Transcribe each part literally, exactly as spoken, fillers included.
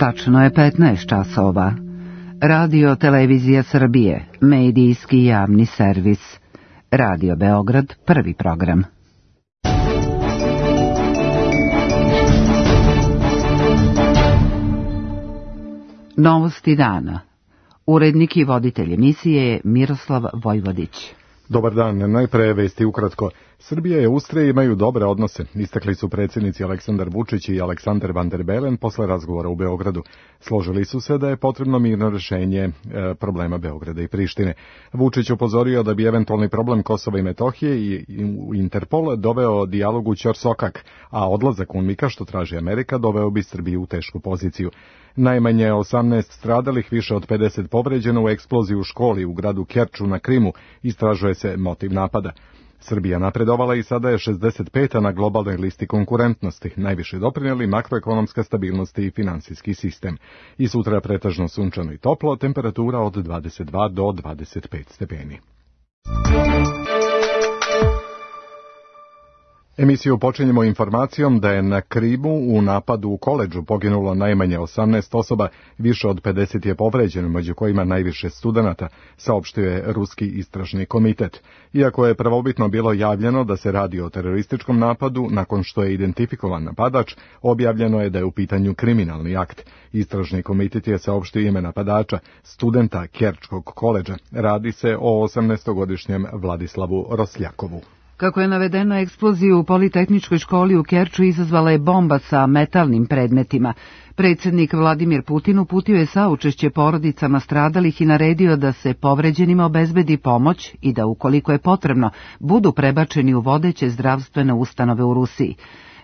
Tačno je petnaest časova. Radio Televizija Srbije, medijski javni servis. Radio Beograd, prvi program. Novosti dana. Urednik i voditelj emisije je Miroslav Vojvodić. Dobar dan, najpre vesti ukratko. Srbija i Austrija imaju dobre odnose, istakli su predsjednici Aleksandar Vučić i Aleksander Van der Bellen posle razgovora u Beogradu. Složili su se da je potrebno mirno rješenje e, problema Beograda i Prištine. Vučić upozorio da bi eventualni problem Kosova i Metohije i, i u Interpol doveo dijalog u ćorsokak, a odlazak UNMIK-a, što traži Amerika, doveo bi Srbiju u tešku poziciju. Najmanje osamnaest stradalih, više od pedeset povređeno u eksploziji u školi u gradu Kerču na Krimu, istražuje se motiv napada. Srbija napredovala i sada je šezdeset peta na globalnoj listi konkurentnosti, najviše doprinijeli makroekonomska stabilnost i finansijski sistem. I sutra pretežno sunčano i toplo, temperatura od dvadeset dva do dvadeset pet stepeni. Emisiju počinjemo informacijom da je na Krimu u napadu u koledžu poginulo najmanje osamnaest osoba, više od pedeset je povređeno, među kojima najviše studenata, saopštio je Ruski istražni komitet. Iako je prvobitno bilo javljeno da se radi o terorističkom napadu, nakon što je identifikovan napadač, objavljeno je da je u pitanju kriminalni akt. Istražni komitet je saopštio ime napadača, studenta Kerčkog koledža. Radi se o osamnaestogodišnjem Vladislavu Rosljakovu. Kako je navedeno, eksploziju u Politehničkoj školi u Kerču izazvala je bomba sa metalnim predmetima. Predsjednik Vladimir Putin uputio je saučešće porodicama stradalih i naredio da se povređenima obezbedi pomoć i da, ukoliko je potrebno, budu prebačeni u vodeće zdravstvene ustanove u Rusiji.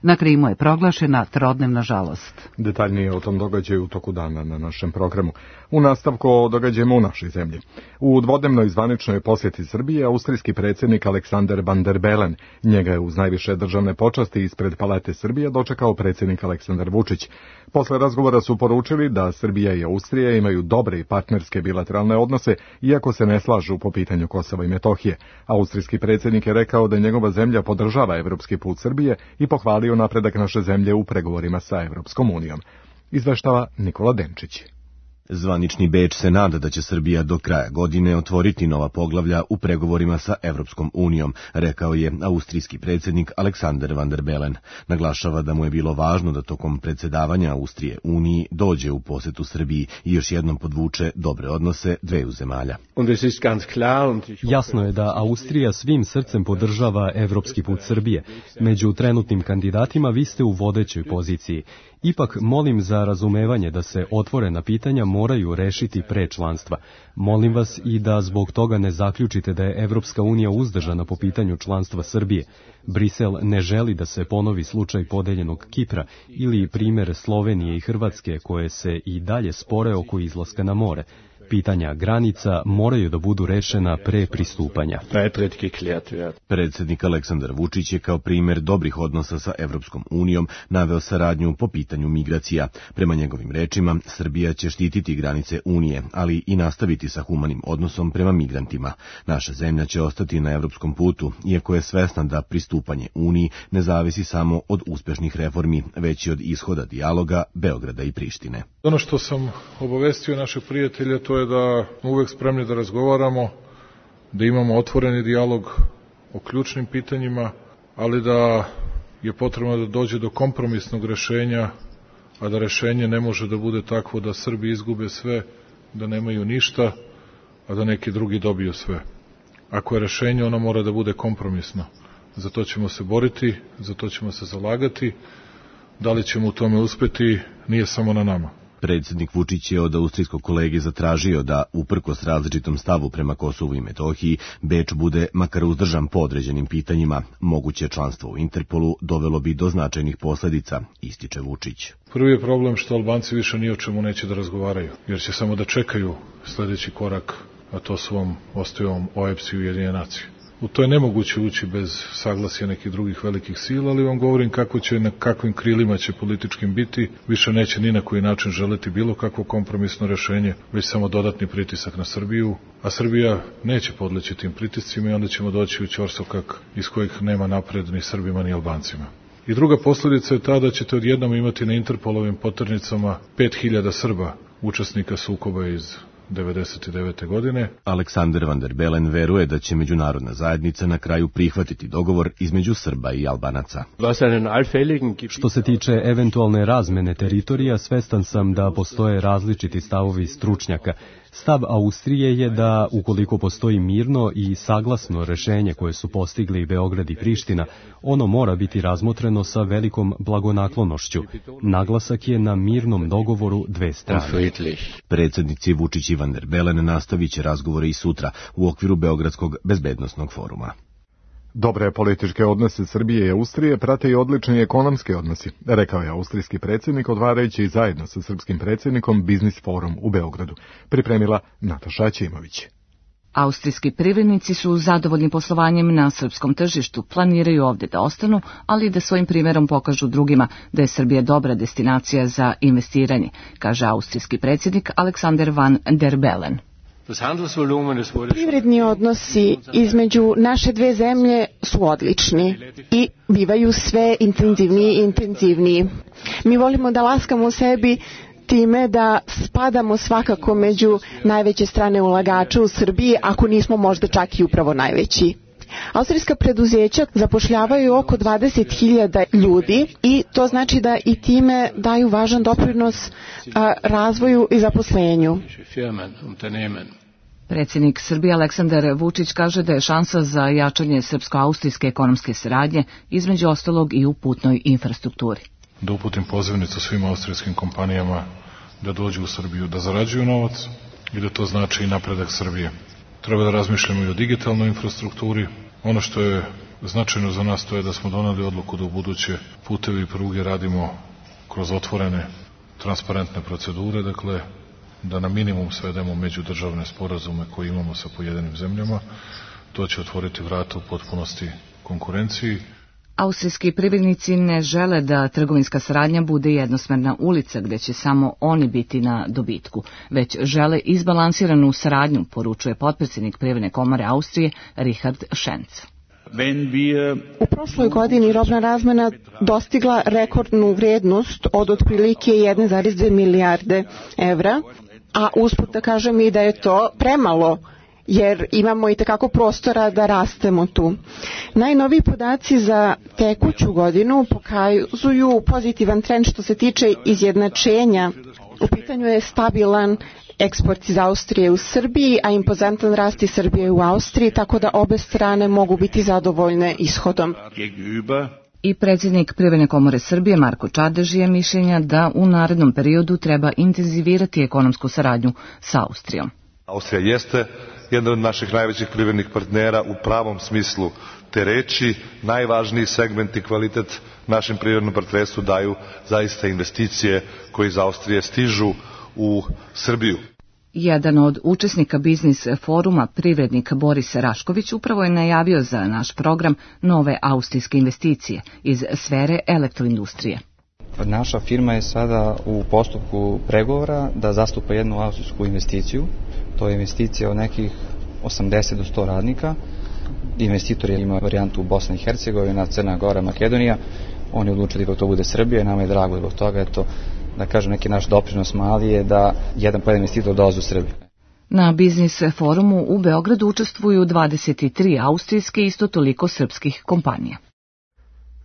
Na Krimu je proglašena trodnevna žalost. Detaljnije o tom događaju u toku dana na našem programu. U nastavku o događajima u našoj zemlji. U dvodnevnoj zvaničnoj posjeti Srbije austrijski predsjednik Aleksander Van der Bellen. Njega je uz najviše državne počasti ispred Palate Srbije dočekao predsjednik Aleksandar Vučić. Posle razgovora su poručili da Srbija i Austrija imaju dobre i partnerske bilateralne odnose, iako se ne slažu po pitanju Kosova i Metohije. Austrijski predsjednik je rekao da njegova zemlja podržava evropski put Srbije i pohvalio napredak naše zemlje u pregovorima sa Evropskom unijom. Izveštava Nikola Denčić. Zvanični Beč se nada da će Srbija do kraja godine otvoriti nova poglavlja u pregovorima sa Evropskom unijom, rekao je austrijski predsjednik Aleksander Van der Bellen. Naglašava da mu je bilo važno da tokom predsjedavanja Austrije Uniji dođe u posjetu Srbiji i još jednom podvuče dobre odnose dveju zemalja. Jasno je da Austrija svim srcem podržava evropski put Srbije. Među trenutnim kandidatima vi ste u vodećoj poziciji. Ipak molim za razumevanje da se otvorena pitanja moraju rešiti pre članstva. Molim vas i da zbog toga ne zaključite da je Evropska unija uzdržana po pitanju članstva Srbije. Brisel ne želi da se ponovi slučaj podeljenog Kipra ili primjer Slovenije i Hrvatske koje se i dalje spore oko izlaska na more. Pitanja granica moraju da budu rešena pre pristupanja. Predsjednik Aleksandar Vučić je kao primjer dobrih odnosa sa Evropskom unijom naveo saradnju po pitanju migracija. Prema njegovim rečima, Srbija će štititi granice Unije, ali i nastaviti sa humanim odnosom prema migrantima. Naša zemlja će ostati na evropskom putu, iako je svesna da pristupanje Uniji ne zavisi samo od uspješnih reformi, već i od ishoda dijaloga Beograda i Prištine. Ono što sam obavestio našeg prijatelja, to je da smo uvek spremni da razgovaramo, da imamo otvoreni dijalog o ključnim pitanjima, ali da je potrebno da dođe do kompromisnog rešenja, a da rešenje ne može da bude takvo da Srbi izgube sve, da nemaju ništa, a da neki drugi dobiju sve. Ako je rešenje, ono mora da bude kompromisno. Za to ćemo se boriti, za to ćemo se zalagati. Da li ćemo u tome uspeti, nije samo na nama. Predsjednik Vučić je od austrijskog kolege zatražio da, uprkos različitom stavu prema Kosovu i Metohiji, Beč bude makar uzdržan po određenim pitanjima. Moguće članstvo u Interpolu dovelo bi do značajnih posljedica, ističe Vučić. Prvi je problem što Albanci više ni o čemu neće da razgovaraju, jer će samo da čekaju sljedeći korak, a to su vam ostavom O E B S i Ujedinjene nacije. U to je nemoguće ući bez saglasja nekih drugih velikih sila, ali vam govorim kako će, na kakvim krilima će političkim biti, više neće ni na koji način želiti bilo kakvo kompromisno rešenje, već samo dodatni pritisak na Srbiju, a Srbija neće podleći tim pritiscima i onda ćemo doći u ćorsokak iz kojih nema napred ni Srbima ni Albancima. I druga posljedica je ta da ćete odjednom imati na Interpolovim poternicama pet hiljada Srba, učesnika sukoba iz devedeset devete. godine. Aleksander Van der Bellen veruje da će međunarodna zajednica na kraju prihvatiti dogovor između Srba i Albanaca. Što se tiče eventualne razmene teritorija, svestan sam da postoje različiti stavovi stručnjaka. Stav Austrije je da, ukoliko postoji mirno i saglasno rešenje koje su postigli Beograd i Priština, ono mora biti razmotreno sa velikom blagonaklonošću. Naglasak je na mirnom dogovoru dve strane. Predsjednici Vučić i Van der Bellen nastavit će razgovore i sutra u okviru Beogradskog bezbednosnog foruma. Dobre političke odnose Srbije i Austrije prate i odlični ekonomski odnosi, rekao je austrijski predsjednik otvarajući zajedno sa srpskim predsjednikom Biznis forum u Beogradu, pripremila Nataša Aćimović. Austrijski privrednici su zadovoljni poslovanjem na srpskom tržištu, planiraju ovdje da ostanu, ali da svojim primjerom pokažu drugima da je Srbija dobra destinacija za investiranje, kaže austrijski predsjednik Aleksander Van der Bellen. Privredni odnosi između naše dve zemlje su odlični i bivaju sve intenzivniji i intenzivniji. Mi volimo da laskamo sebi time da spadamo svakako među najveće strane ulagača u Srbiji, ako nismo možda čak i upravo najveći. Austrijska preduzeća zapošljavaju oko dvadeset hiljada ljudi i to znači da i time daju važan doprinos a, razvoju i zaposlenju. Predsjednik Srbije Aleksandar Vučić kaže da je šansa za jačanje srpsko-austrijske ekonomske saradnje između ostalog i u putnoj infrastrukturi. Da uputim pozivnicu svim austrijskim kompanijama da dođu u Srbiju, da zarađuju novac i da to znači i napredak Srbije. Treba da razmišljamo i o digitalnoj infrastrukturi. Ono što je značajno za nas to je da smo doneli odluku da u buduće putevi i pruge radimo kroz otvorene, transparentne procedure, dakle da na minimum svedemo međudržavne sporazume koje imamo sa pojedinim zemljama. To će otvoriti vrata u potpunosti konkurenciji. Austrijski privrednici ne žele da trgovinska saradnja bude jednosmerna ulica gdje će samo oni biti na dobitku, već žele izbalansiranu saradnju, poručuje potpredsjednik Privredne komore Austrije Richard Schenz. U prošloj godini robna razmena dostigla rekordnu vrijednost od otprilike jedan zarez dve milijarde evra, a usput da kažem i da je to premalo, jer imamo i tekako prostora da rastemo tu. Najnoviji podaci za tekuću godinu pokazuju pozitivan trend što se tiče izjednačenja. U pitanju je stabilan eksport iz Austrije u Srbiji, a impozantan rast iz Srbije u Austriji, tako da obe strane mogu biti zadovoljne ishodom. I predsjednik Privredne komore Srbije Marko Čadež je mišljenja da u narednom periodu treba intenzivirati ekonomsku saradnju sa Austrijom. Austrija jeste jedan od naših najvećih privrednih partnera u pravom smislu te reči. Najvažniji segment i kvalitet našem privrednom partnerstvu daju zaista investicije koje iz Austrije stižu u Srbiju. Jedan od učesnika biznis foruma, privrednik Boris Rašković, upravo je najavio za naš program nove austrijske investicije iz sfere elektroindustrije. Naša firma je sada u postupku pregovora da zastupa jednu austrijsku investiciju. To je investicija od nekih osamdeset do sto radnika. Investitor ima varijantu Bosna i Hercegovina, Crna Gora, Makedonija. On je odlučio da to bude Srbija i nama je drago zbog toga. Eto, da kažem, neki naš doprinos mali je da jedan po jedan investitor dolazi u Srbiju. Na biznis forumu u Beogradu učestvuju dvadeset tri austrijske i isto toliko srpskih kompanija.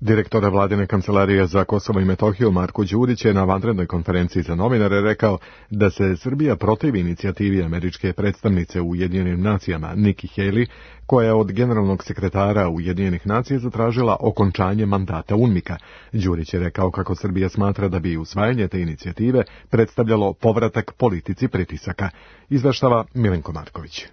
Direktor vladine kancelarije za Kosovo i Metohiju Marko Đurić je na vanrednoj konferenciji za novinare rekao da se Srbija protivi inicijativi američke predstavnice u Ujedinjenim nacijama Nikki Haley, koja je od generalnog sekretara Ujedinjenih nacija zatražila okončanje mandata UNMIK-a. Đurić je rekao kako Srbija smatra da bi usvajanje te inicijative predstavljalo povratak politici pritisaka. Izveštava Milenko Marković.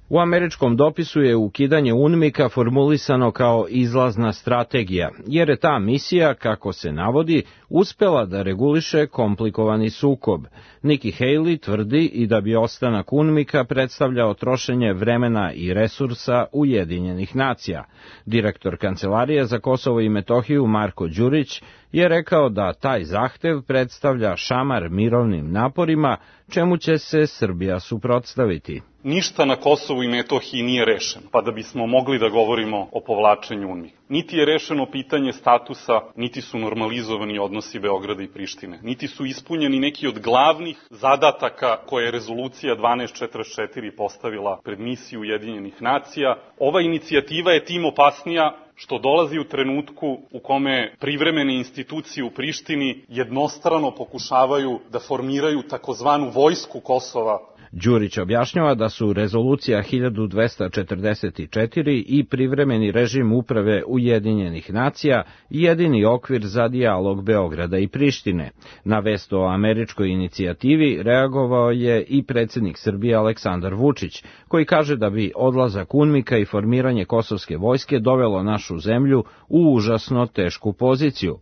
U američkom dopisu je ukidanje UNMIK-a formulisano kao izlazna strategija, jer je ta misija, kako se navodi, uspela da reguliše komplikovani sukob. Nikki Haley tvrdi i da bi ostanak UNMIK-a predstavljao trošenje vremena i resursa Ujedinjenih nacija. Direktor Kancelarije za Kosovo i Metohiju Marko Đurić je rekao da taj zahtev predstavlja šamar mirovnim naporima, čemu će se Srbija suprotstaviti. ništa na Kosovu i Metohiji nije rešeno, pa da bismo mogli da govorimo o povlačenju UNMIK. Niti je rešeno pitanje statusa, niti su normalizovani odnosi Beograda i Prištine, niti su ispunjeni neki od glavnih zadataka koje je rezolucija dvanaest četrdeset četiri postavila pred misiju Ujedinjenih nacija. Ova inicijativa je tim opasnija što dolazi u trenutku u kome privremene institucije u Prištini jednostrano pokušavaju da formiraju takozvanu vojsku Kosova. Đurić objašnjava da su rezolucija hiljadu dvesta četrdeset četiri i privremeni režim uprave Ujedinjenih nacija jedini okvir za dijalog Beograda i Prištine. Na vest o američkoj inicijativi reagovao je i predsjednik Srbije Aleksandar Vučić, koji kaže da bi odlazak UNMIK-a i formiranje kosovske vojske dovelo našu zemlju u užasno tešku poziciju.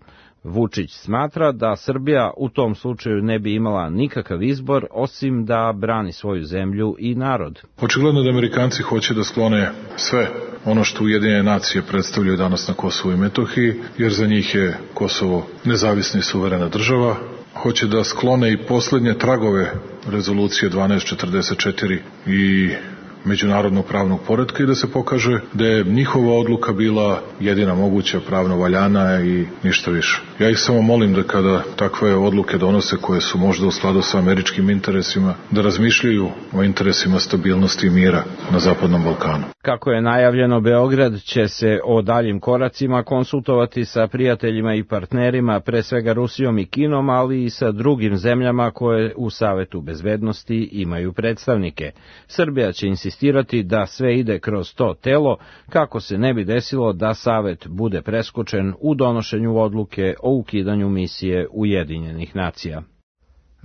Vučić smatra da Srbija u tom slučaju ne bi imala nikakav izbor osim da brani svoju zemlju i narod. Očigledno da Amerikanci hoće da sklone sve ono što Ujedinjene nacije predstavljaju danas na Kosovu i Metohiji, jer za njih je Kosovo nezavisna i suverena država. Hoće da sklone i poslednje tragove rezolucije dvanaest četrdeset četiri i međunarodnog pravnog poretka i da se pokaže da je njihova odluka bila jedina moguća, pravno valjana i ništa više. Ja ih samo molim da kada takve odluke donose koje su možda u skladu sa američkim interesima, da razmišljaju o interesima stabilnosti i mira na Zapadnom Balkanu. Kako je najavljeno, Beograd će se o daljim koracima konsultovati sa prijateljima i partnerima, pre svega Rusijom i Kinom, ali i sa drugim zemljama koje u Savetu bezbednosti imaju predstavnike. Srbija će insistirati da sve ide kroz to telo, kako se ne bi desilo da Savet bude preskočen u donošenju odluke o ukidanju misije Ujedinjenih nacija.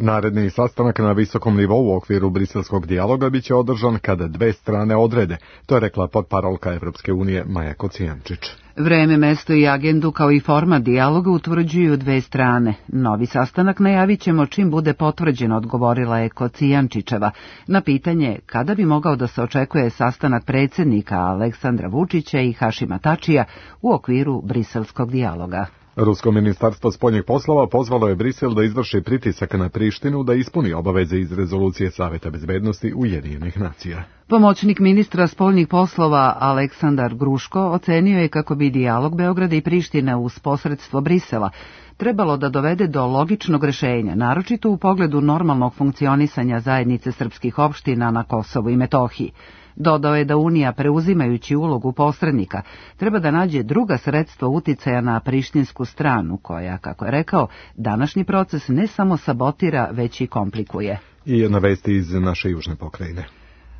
Naredni sastanak na visokom nivou u okviru briselskog dijaloga biće održan kada dve strane odrede, to je rekla potparolka Evropske unije Maja Kocijančić. Vreme, mesto i agendu kao i format dijaloga utvrđuju dve strane. Novi sastanak najavit ćemo čim bude potvrđen, odgovorila je Kocijančićeva. Na pitanje kada bi mogao da se očekuje sastanak predsjednika Aleksandra Vučića i Hašima Tačija u okviru briselskog dijaloga. Rusko ministarstvo spoljnih poslova pozvalo je Brisel da izvrši pritisak na Prištinu da ispuni obaveze iz rezolucije Saveta bezbednosti Ujedinjenih nacija. Pomoćnik ministra spoljnih poslova Aleksandar Gruško ocenio je kako bi dijalog Beograda i Prištine uz posredstvo Brisela trebalo da dovede do logičnog rešenja, naročito u pogledu normalnog funkcionisanja zajednice srpskih opština na Kosovu i Metohiji. Dodao je da Unija, preuzimajući ulogu posrednika, treba da nađe druga sredstva uticaja na prištinsku stranu, koja, kako je rekao, današnji proces ne samo sabotira, već i komplikuje. I na vesti iz naše južne pokrajine.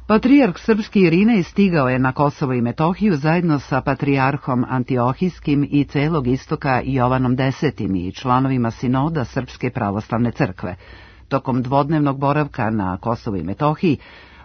Patrijarh srpski Irinej stigao je na Kosovo i Metohiju zajedno sa patrijarhom Antiohijskim i celog istoka Jovanom Desetim i članovima sinoda Srpske pravoslavne crkve. Tokom dvodnevnog boravka na Kosovo i Metohiji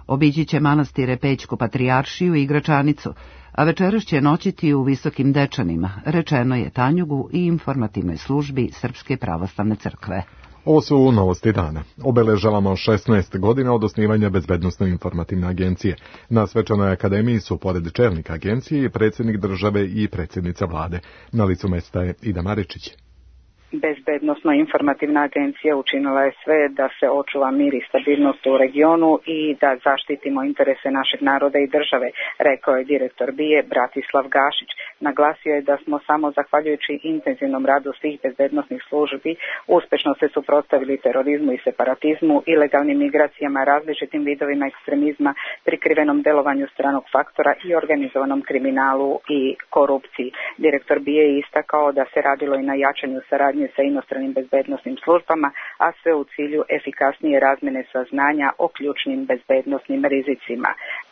obići će manastire Pećku patrijaršiju i Gračanicu, a večeras će noćiti u Visokim Dečanima, rečeno je Tanjugu i informativnoj službi Srpske pravoslavne crkve. Ovo su novosti dana. Obeležavamo šesnaest godina od osnivanja Bezbednosno-informativne agencije. Na svečanoj akademiji su pored čelnika agencije i predsjednik države i predsjednica vlade. Na licu mesta je Ida Maričić. Bezbednosno-informativna agencija učinila je sve da se očuva mir i stabilnost u regionu i da zaštitimo interese našeg naroda i države, rekao je direktor B I E Bratislav Gašić. Naglasio je da smo samo zahvaljujući intenzivnom radu svih bezbednosnih službi uspešno se suprotstavili terorizmu i separatizmu, ilegalnim migracijama, različitim vidovima ekstremizma, prikrivenom delovanju stranog faktora i organizovanom kriminalu i korupciji. Direktor B I E je istakao da se radilo i na jačanju saradnje sa inostranim bezbednosnim službama, a sve u cilju efikasnije razmene saznanja o ključnim bezbednosnim rizicima.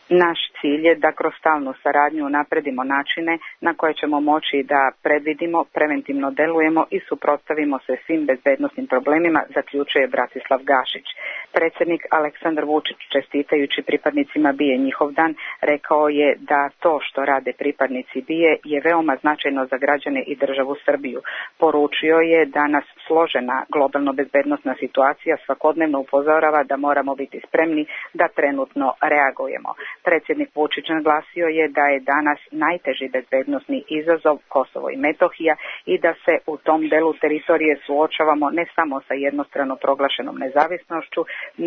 Naš cilj je da kroz stalnu saradnju napredimo načine na koje ćemo moći da predvidimo, preventivno delujemo i suprotstavimo se svim bezbednosnim problemima, zaključuje Bratislav Gašić. Predsjednik Aleksandar Vučić, čestitajući pripadnicima B I E njihov dan, rekao je da to što rade pripadnici B I E je veoma značajno za građane i državu Srbiju. Poručio je da nas složena globalno bezbednosna situacija svakodnevno upozorava da moramo biti spremni da trenutno reagujemo. Predsjednik Vučić naglasio je da je danas najteži bezbednosni izazov Kosovo i Metohija i da se u tom delu teritorije suočavamo ne samo sa jednostrano proglašenom nezavisnošću,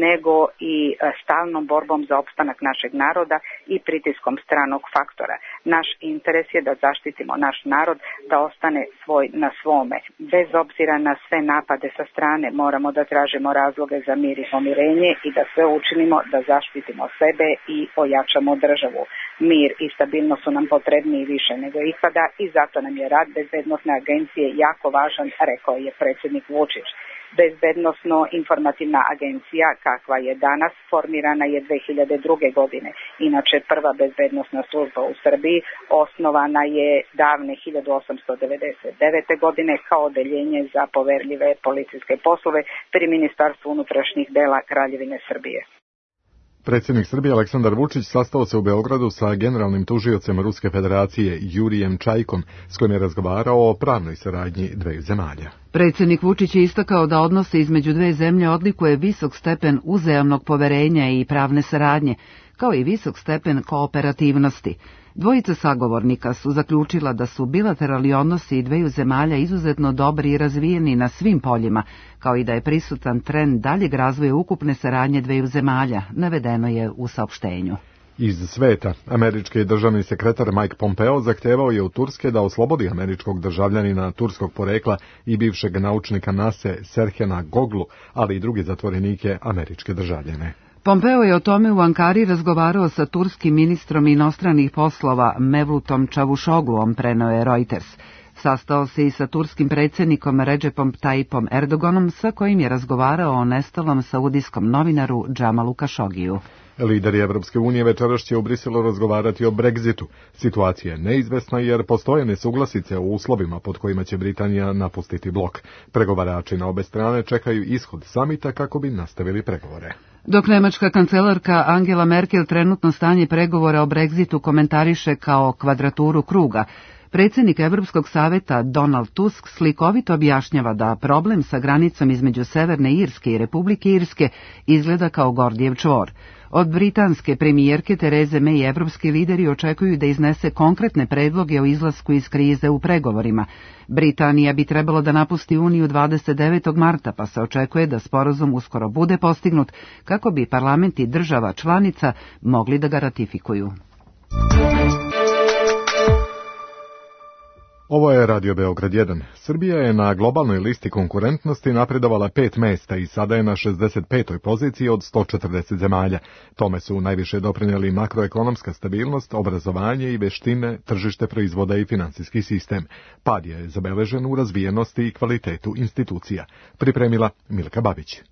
nego i stalnom borbom za opstanak našeg naroda i pritiskom stranog faktora. Naš interes je da zaštitimo naš narod, da ostane svoj na svome. Bez obzira na sve napade sa strane moramo da tražimo razloge za mir i pomirenje i da sve učinimo da zaštitimo sebe i ojačamo državu. Mir i stabilnost su nam potrebniji više nego ikada i zato nam je rad Bezbednosne agencije jako važan, rekao je predsjednik Vučić. Bezbednosno-informativna agencija, kakva je danas, formirana je dve hiljade druge. godine. Inače, prva bezbednosna služba u Srbiji osnovana je davne hiljadu osamsto devedeset devete. godine kao odeljenje za poverljive policijske poslove pri Ministarstvu unutrašnjih dela Kraljevine Srbije. Predsjednik Srbije Aleksandar Vučić sastao se u Beogradu sa generalnim tužiocem Ruske federacije Jurijem Čajkom, s kojim je razgovarao o pravnoj saradnji dveju zemalja. Predsjednik Vučić je istakao da odnose između dve zemlje odlikuje visok stepen uzajamnog poverenja i pravne saradnje, kao i visok stepen kooperativnosti. Dvojica sagovornika su zaključila da su bilateralni odnosi dveju zemalja izuzetno dobri i razvijeni na svim poljima, kao i da je prisutan trend daljeg razvoja ukupne saradnje dveju zemalja, navedeno je u saopštenju. Iz sveta, američki državni sekretar Mike Pompeo zahtevao je u Turske da oslobodi američkog državljanina turskog porekla i bivšeg naučnika nase Serhena Goglu, ali i druge zatvorenike američke državljane. Pompeo je o tome u Ankari razgovarao sa turskim ministrom inostranih poslova Mevlutom Čavuşogluom, preneo je Reuters. Sastao se i sa turskim predsjednikom Recepom Tayyipom Erdoganom, sa kojim je razgovarao o nestalom saudijskom novinaru Džamalu Kašogiju. Lideri Evropske unije večeras će u Briselu razgovarati o Brexitu. Situacija je neizvesna jer postoje nesuglasice o uslovima pod kojima će Britanija napustiti blok. Pregovarači na obe strane čekaju ishod samita kako bi nastavili pregovore. Dok nemačka kancelarka Angela Merkel trenutno stanje pregovora o Brexitu komentariše kao kvadraturu kruga, predsjednik Evropskog saveta Donald Tusk slikovito objašnjava da problem sa granicom između Severne Irske i Republike Irske izgleda kao Gordijev čvor. Od britanske premijerke Tereze May evropski lideri očekuju da iznese konkretne predloge o izlasku iz krize u pregovorima. Britanija bi trebalo da napusti Uniju dvadeset devetog marta, pa se očekuje da sporazum uskoro bude postignut kako bi parlamenti država članica mogli da ga ratifikuju. Ovo je Radio Beograd jedan. Srbija je na globalnoj listi konkurentnosti napredovala pet mesta i sada je na šezdeset petoj poziciji od sto četrdeset zemalja. Tome su najviše doprinijeli makroekonomska stabilnost, obrazovanje i veštine, tržište proizvoda i finansijski sistem. Pad je zabeležen u razvijenosti i kvalitetu institucija. Pripremila Milka Babić.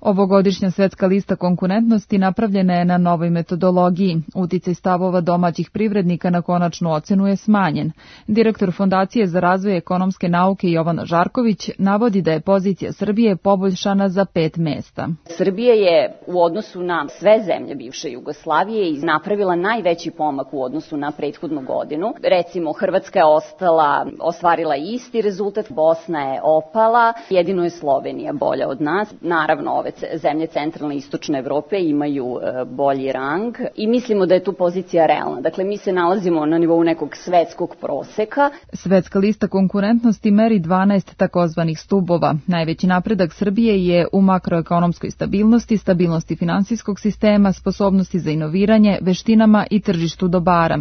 Ovogodišnja svetska lista konkurentnosti napravljena je na novoj metodologiji. Uticaj stavova domaćih privrednika na konačnu ocenu je smanjen. Direktor Fondacije za razvoj ekonomske nauke Jovan Žarković navodi da je pozicija Srbije poboljšana za pet mesta. Srbija je u odnosu na sve zemlje bivše Jugoslavije napravila najveći pomak u odnosu na prethodnu godinu. Recimo, Hrvatska je ostala, ostvarila isti rezultat, Bosna je opala, jedino je Slovenija bolja od nas. Naravno, ove zemlje centralne i istočne Evrope imaju bolji rang i mislimo da je tu pozicija realna. Dakle, mi se nalazimo na nivou nekog svetskog proseka. Svetska lista konkurentnosti meri dvanaest takozvanih stubova. Najveći napredak Srbije je u makroekonomskoj stabilnosti, stabilnosti finansijskog sistema, sposobnosti za inoviranje, veštinama i tržištu dobara.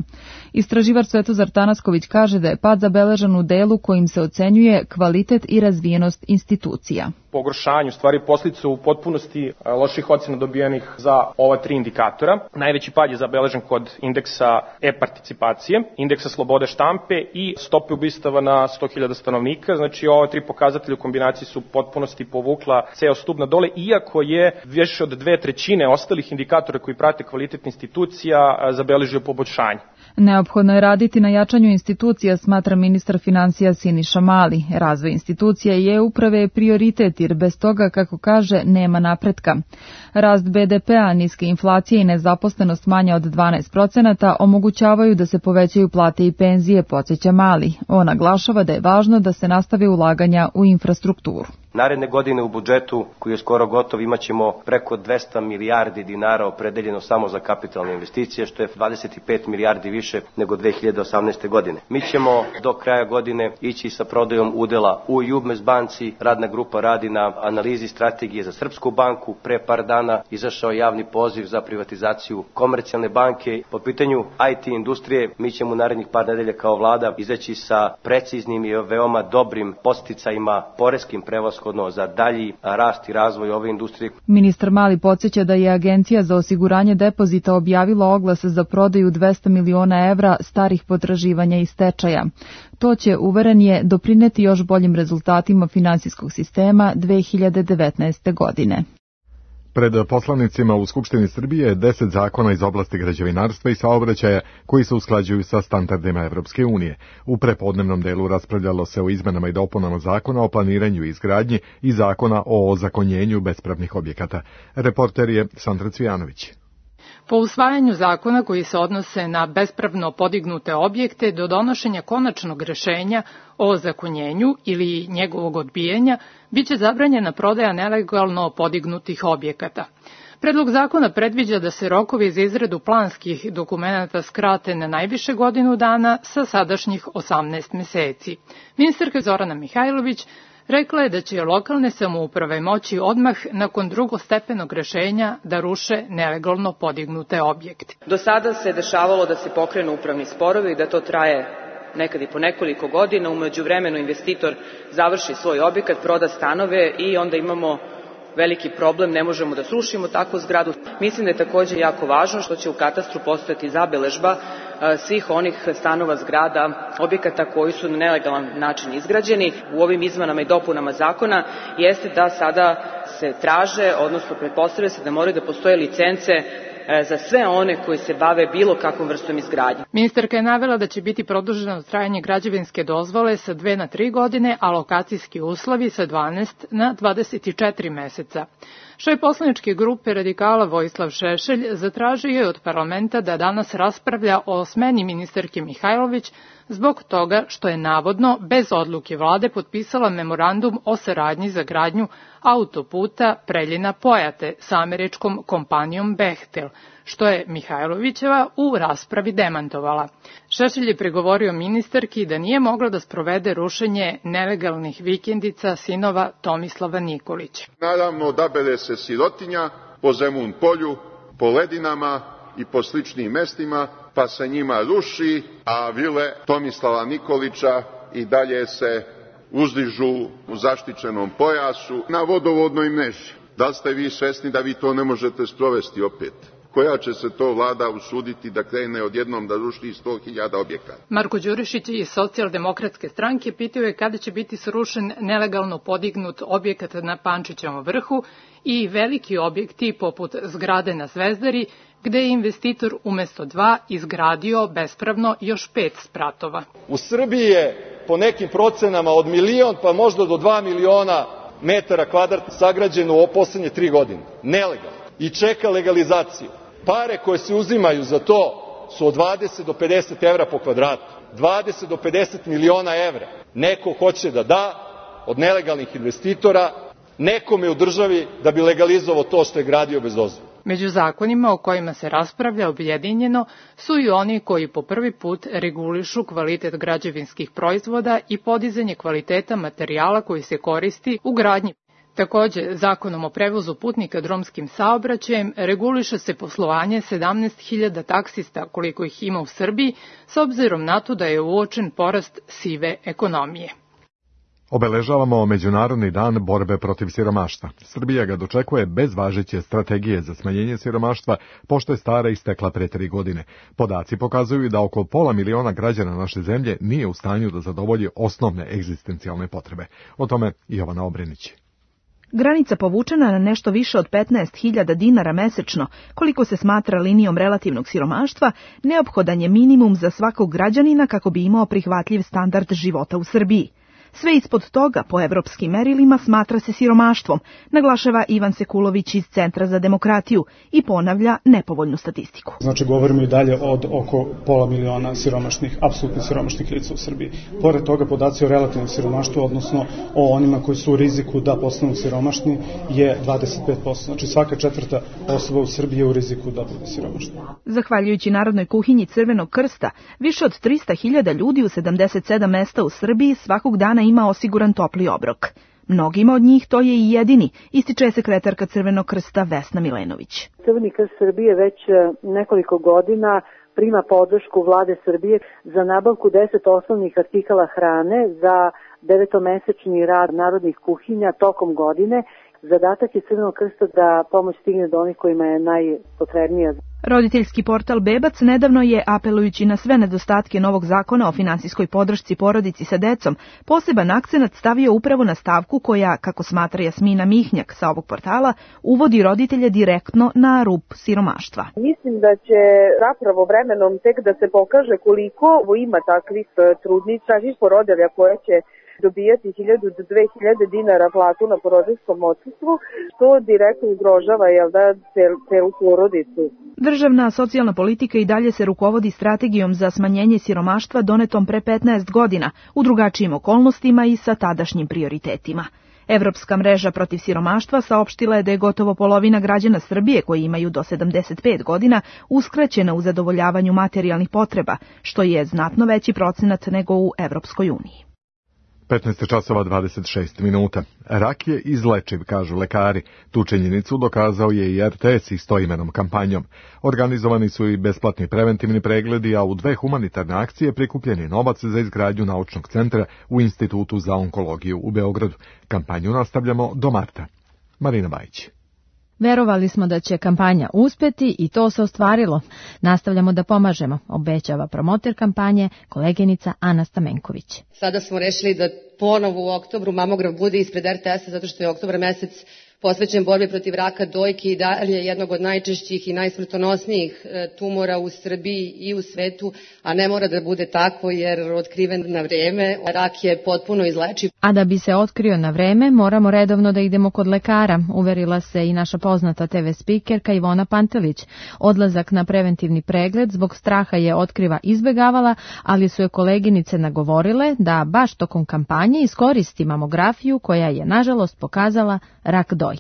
Istraživač Svetozar Tanasković kaže da je pad zabeležen u delu kojim se ocenjuje kvalitet i razvijenost institucija. Pogoršanju, stvari posljedica u potpunosti loših ocena dobijenih za ova tri indikatora. Najveći pad je zabeležen kod indeksa e-participacije, indeksa slobode štampe i stope ubistava na sto hiljada stanovnika. Znači, ova tri pokazatelja u kombinaciji su u potpunosti povukla ceo stub na dole, iako je više od dve trećine ostalih indikatora koji prate kvalitet institucija zabeležio poboljšanje. Neophodno je raditi na jačanju institucija, smatra ministar finansija Siniša Mali. Razvoj institucija i e-uprave je prioritet, jer bez toga, kako kaže, nema napretka. Rast be de pe-a, niske inflacije i nezaposlenost manja od dvanaest procenata omogućavaju da se povećaju plate i penzije, podsjeća Mali. On naglašava da je važno da se nastave ulaganja u infrastrukturu. Naredne godine u budžetu, koji je skoro gotov, imat ćemo preko dvesta milijardi dinara opredeljeno samo za kapitalne investicije, što je dvadeset pet milijardi više nego dve hiljade osamnaeste. godine. Mi ćemo do kraja godine ići sa prodajom udela u Jubmes banci. Radna grupa radi na analizi strategije za Srpsku banku. Pre par dana izašao javni poziv za privatizaciju Komercijalne banke. Po pitanju I T industrije, mi ćemo u narednih par nedelja kao vlada izaći sa preciznim i veoma dobrim podsticajima, poreskim prevashodno za dalji rast i razvoj ove industrije. Ministar Mali podsjeća da je Agencija za osiguranje depozita objavila oglas za prodaju dvesta miliona evra starih potraživanja i stečaja. To će, uveren je, doprineti još boljim rezultatima finansijskog sistema dve hiljade devetnaeste. godine. Pred poslanicima u Skupštini Srbije je deset zakona iz oblasti građevinarstva i saobraćaja koji se usklađuju sa standardima Evropske unije. U prepodnevnom delu raspravljalo se o izmenama i dopunama zakona o planiranju i izgradnji i zakona o ozakonjenju bespravnih objekata. Reporter je Sandra Cvijanović. Po usvajanju zakona koji se odnose na bespravno podignute objekte do donošenja konačnog rešenja o ozakonjenju ili njegovog odbijanja, biće zabranjena prodaja nelegalno podignutih objekata. Predlog zakona predviđa da se rokovi za izradu planskih dokumenata skrate na najviše godinu dana sa sadašnjih osamnaest meseci. Ministarka Zorana Mihajlović rekla je da će lokalne samouprave moći odmah nakon drugostepenog rešenja da ruše nelegalno podignute objekte. Do sada se dešavalo da se pokrenu upravni sporovi i da to traje nekad i po nekoliko godina. U međuvremenu investitor završi svoj objekat, proda stanove i onda imamo veliki problem, ne možemo da srušimo takvu zgradu. Mislim da je također jako važno što će u katastru postojati zabeležba svih onih stanova, zgrada, objekata koji su na nelegalan način izgrađeni. U ovim izmenama i dopunama zakona jeste da sada se traže, odnosno pretpostavlja se da moraju da postoje licence za sve one koji se bave bilo kakvom vrstom izgradnje. Ministarka je navela da će biti produženo trajanje građevinske dozvole sa dve na tri godine, a lokacijski uslovi sa dvanaest na dvadeset četiri meseca. Šef poslaničke grupe radikala Vojislav Šešelj zatražio je od parlamenta da danas raspravlja o smeni ministarke Mihajlović zbog toga što je navodno bez odluke vlade potpisala memorandum o saradnji za gradnju autoputa Preljina-Pojate sa američkom kompanijom Bechtel, što je Mihajlovićeva u raspravi demantovala. Šešelj je pregovorio ministarki da nije mogla da sprovede rušenje nelegalnih vikendica sinova Tomislava Nikolića. Naravno, odabere se sirotinja po Zemun polju, po ledinama i po sličnim mestima, pa se njima ruši, a vile Tomislava Nikolića i dalje se uzdižu u zaštićenom pojasu na vodovodnoj mreži. Da li ste vi svesni da vi to ne možete sprovesti opet? Koja će se to vlada usuditi da krene odjednom da ruši sto hiljada objekata? Marko Đurišić iz Socijaldemokratske stranke pitao je kada će biti srušen nelegalno podignut objekat na Pančićevom vrhu i veliki objekti poput zgrade na Zvezdari, gde je investitor umesto dva izgradio bespravno još pet spratova. U Srbiji je po nekim procenama od milion pa možda do dva miliona metara kvadratnih sagrađeno u poslednje tri godine. Nelegalno. I čeka legalizaciju. Pare koje se uzimaju za to su od dvadeset do pedeset evra po kvadratu. dvadeset do pedeset miliona evra. Neko hoće da da od nelegalnih investitora nekome u državi da bi legalizovao to što je gradio bez dozvole. Među zakonima o kojima se raspravlja objedinjeno su i oni koji po prvi put regulišu kvalitet građevinskih proizvoda i podizanje kvaliteta materijala koji se koristi u gradnji. Takođe, zakonom o prevozu putnika drumskim saobraćajem reguliše se poslovanje sedamnaest hiljada taksista koliko ih ima u Srbiji, s obzirom na to da je uočen porast sive ekonomije. Obeležavamo Međunarodni dan borbe protiv siromaštva. Srbija ga dočekuje bez važeće strategije za smanjenje siromaštva, pošto je stara istekla pre tri godine. Podaci pokazuju da oko pola miliona građana naše zemlje nije u stanju da zadovolji osnovne egzistencijalne potrebe. O tome Jovana Obrenić. Granica povučena na nešto više od petnaest hiljada dinara mesečno, koliko se smatra linijom relativnog siromaštva, neophodan je minimum za svakog građanina kako bi imao prihvatljiv standard života u Srbiji. Sve ispod toga, po evropskim merilima, smatra se siromaštvom, naglašava Ivan Sekulović iz Centra za demokratiju i ponavlja nepovoljnu statistiku. Znači, govorimo i dalje od oko pola miliona siromašnih, apsolutno siromašnih lica u Srbiji. Pored toga, podaci o relativnom siromaštvu, odnosno o onima koji su u riziku da postanu siromašni, je dvadeset pet posto. Znači, svaka četvrta osoba u Srbiji je u riziku da bude siromašna. Zahvaljujući Narodnoj kuhinji Crvenog krsta, više od trista hiljada ljudi u sedamdeset sedam mesta u Srbiji svakog dana ima osiguran topli obrok. Mnogima od njih to je i jedini, ističe sekretarka Crvenog krsta Vesna Milenović. Crveni krst Srbije već nekoliko godina prima podršku vlade Srbije za nabavku deset osnovnih artikala hrane za devetomesečni rad narodnih kuhinja tokom godine. Zadatak je Crvenog krsta da pomoć stigne do onih kojima je najpotrebnija. Roditeljski portal Bebac nedavno je, apelujući na sve nedostatke novog zakona o finansijskoj podršci porodici sa decom, poseban akcenat stavio upravo na stavku koja, kako smatra Jasmina Mihnjak sa ovog portala, uvodi roditelje direktno na rub siromaštva. Mislim da će zapravo vremenom tek da se pokaže koliko ima takvih trudnica i porodilja koje će dobijati hiljadu do dve hiljade dinara platu na porodiljskom odsustvu, što direktno ugrožava, jel da, celu porodicu. Državna socijalna politika i dalje se rukovodi strategijom za smanjenje siromaštva donetom pre petnaest godina, u drugačijim okolnostima i sa tadašnjim prioritetima. Evropska mreža protiv siromaštva saopštila je da je gotovo polovina građana Srbije koji imaju do sedamdeset pet godina uskraćena u zadovoljavanju materijalnih potreba, što je znatno veći procenat nego u Evropskoj uniji. petnaest časova dvadeset šest minuta. Rak je izlečiv, kažu lekari. Tu činjenicu dokazao je i er te es istoimenom kampanjom. Organizovani su i besplatni preventivni pregledi, a u dve humanitarne akcije prikupljen je novac za izgradnju naučnog centra u Institutu za onkologiju u Beogradu. Kampanju nastavljamo do marta. Marina Bajić. Verovali smo da će kampanja uspeti i to se ostvarilo. Nastavljamo da pomažemo, obećava promoter kampanje, koleginica Ana Stamenković. Sada smo rešili da ponovo u oktobru mamogram bude ispred er te esa zato što je oktobar mesec posvećen borbi protiv raka dojke i dalje jednog od najčešćih i najsmrtonosnijih tumora u Srbiji i u svetu, a ne mora da bude tako jer otkriven na vreme, rak je potpuno izlečiv. A da bi se otkrio na vreme, moramo redovno da idemo kod lekara, uverila se i naša poznata te ve spikerka Ivona Pantelić. Odlazak na preventivni pregled zbog straha je otkriva izbegavala, ali su je koleginice nagovorile da baš tokom kampanje iskoristi mamografiju koja je nažalost pokazala rak dojke.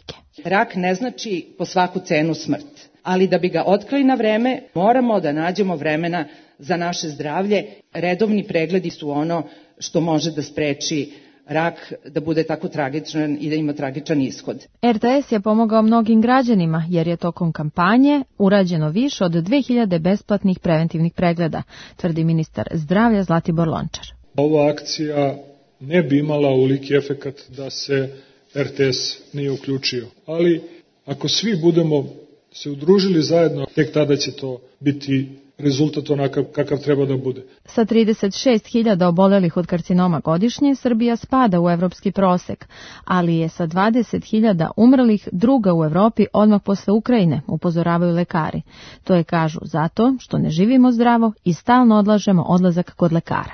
Rak ne znači po svaku cenu smrt, ali da bi ga otkrili na vreme, moramo da nađemo vremena za naše zdravlje. Redovni pregledi su ono što može da spreči rak da bude tako tragičan i da ima tragičan ishod. er te es je pomogao mnogim građanima jer je tokom kampanje urađeno više od dve hiljade besplatnih preventivnih pregleda, tvrdi ministar zdravlja Zlatibor Lončar. Ova akcija ne bi imala ovoliki efekat da se er te es nije uključio. Ali ako svi budemo se udružili zajedno, tek tada će to biti rezultat onakav kakav treba da bude. Sa trideset šest hiljada obolelih od karcinoma godišnje, Srbija spada u evropski prosek, ali je sa dvadeset hiljada umrlih druga u Evropi odmah posle Ukrajine, upozoravaju lekari. To je, kažu, zato što ne živimo zdravo i stalno odlažemo odlazak kod lekara.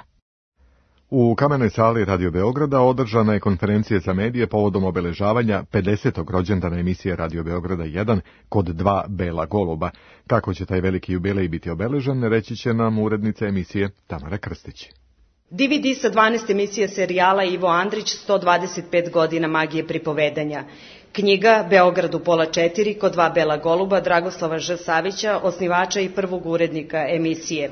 U Kamenoj sali Radio Beograda održana je konferencija za medije povodom obeležavanja pedesetog rođendana emisije Radio Beograda jedan kod dva Bela goluba. Kako će taj veliki jubilej biti obeležen, reći će nam urednica emisije Tamara Krstić. de ve de sa dvanaest emisija serijala Ivo Andrić, sto dvadeset pet godina magije pripovedanja. Knjiga Beograd u pola četiri kod dva Bela goluba Dragoslava Ž. Savića, osnivača i prvog urednika emisije.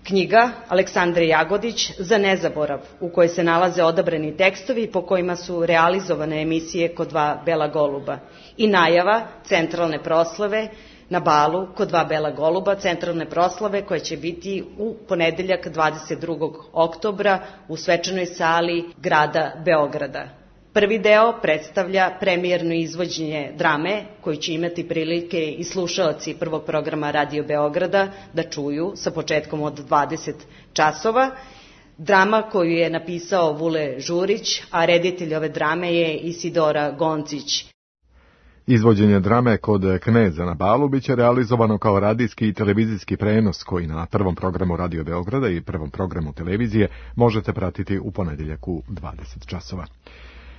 Knjiga Aleksandre Jagodić Za nezaborav, u kojoj se nalaze odabrani tekstovi po kojima su realizovane emisije kod dva Bela goluba. I najava centralne proslave na balu kod dva Bela goluba, centralne proslave koja će biti u ponedeljak dvadeset drugog oktobra u svečanoj sali grada Beograda. Prvi deo predstavlja premijerno izvođenje drame koju će imati prilike i slušaoci prvog programa Radio Beograda da čuju sa početkom od dvadeset časova. Drama koju je napisao Vule Žurić, a reditelj ove drame je Isidora Goncić. Izvođenje drame kod Kneza na balu biće realizovano kao radijski i televizijski prenos koji na prvom programu Radio Beograda i prvom programu televizije možete pratiti u ponedjeljak u dvadeset časova.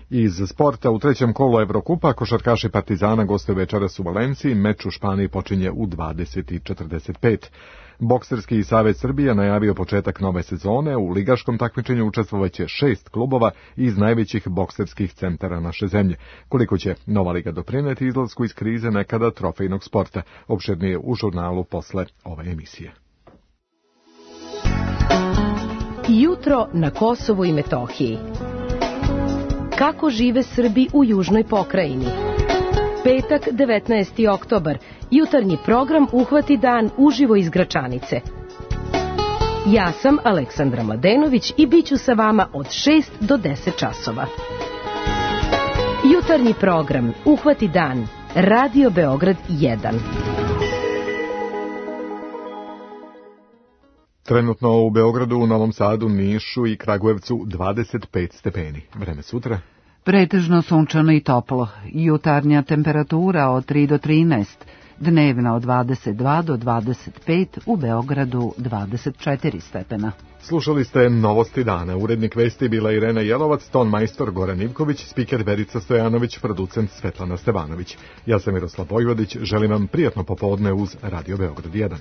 Iz sporta u trećem kolu Evrokupa košarkaši Partizana gostuju večeras u Valenciji, meč u Španiji počinje u dvadeset i četrdeset pet. Bokserski savez Srbije najavio početak nove sezone, u ligaškom takmičenju učestvovaće šest klubova iz najvećih bokserskih centara naše zemlje. Koliko će nova liga doprineti izlasku iz krize nekada trofejnog sporta, opširnije u žurnalu posle ove emisije. Jutro na Kosovu i Metohiji. Kako žive Srbi u južnoj pokrajini? Petak, devetnaesti oktobar. Jutarnji program Uhvati dan uživo iz Gračanice. Ja sam Aleksandra Mladenović i bit ću sa vama od šest do deset časova. Jutarnji program Uhvati dan. Radio Beograd jedan. Trenutno u Beogradu, u Novom Sadu, Nišu i Kragujevcu dvadeset pet stepeni. Vreme sutra? Pretežno sunčano i toplo. Jutarnja temperatura od tri do trinaest. Dnevna od dvadeset dva do dvadeset pet, u Beogradu dvadeset četiri stepena. Slušali ste Novosti dana. Urednik vesti bila Irena Jelovac, ton majstor Goran Ivković, spiker Verica Stojanović, producent Svetlana Stevanović. Ja sam Miroslav Vojvodić, želim vam prijatno popodne uz Radio Beograd jedan.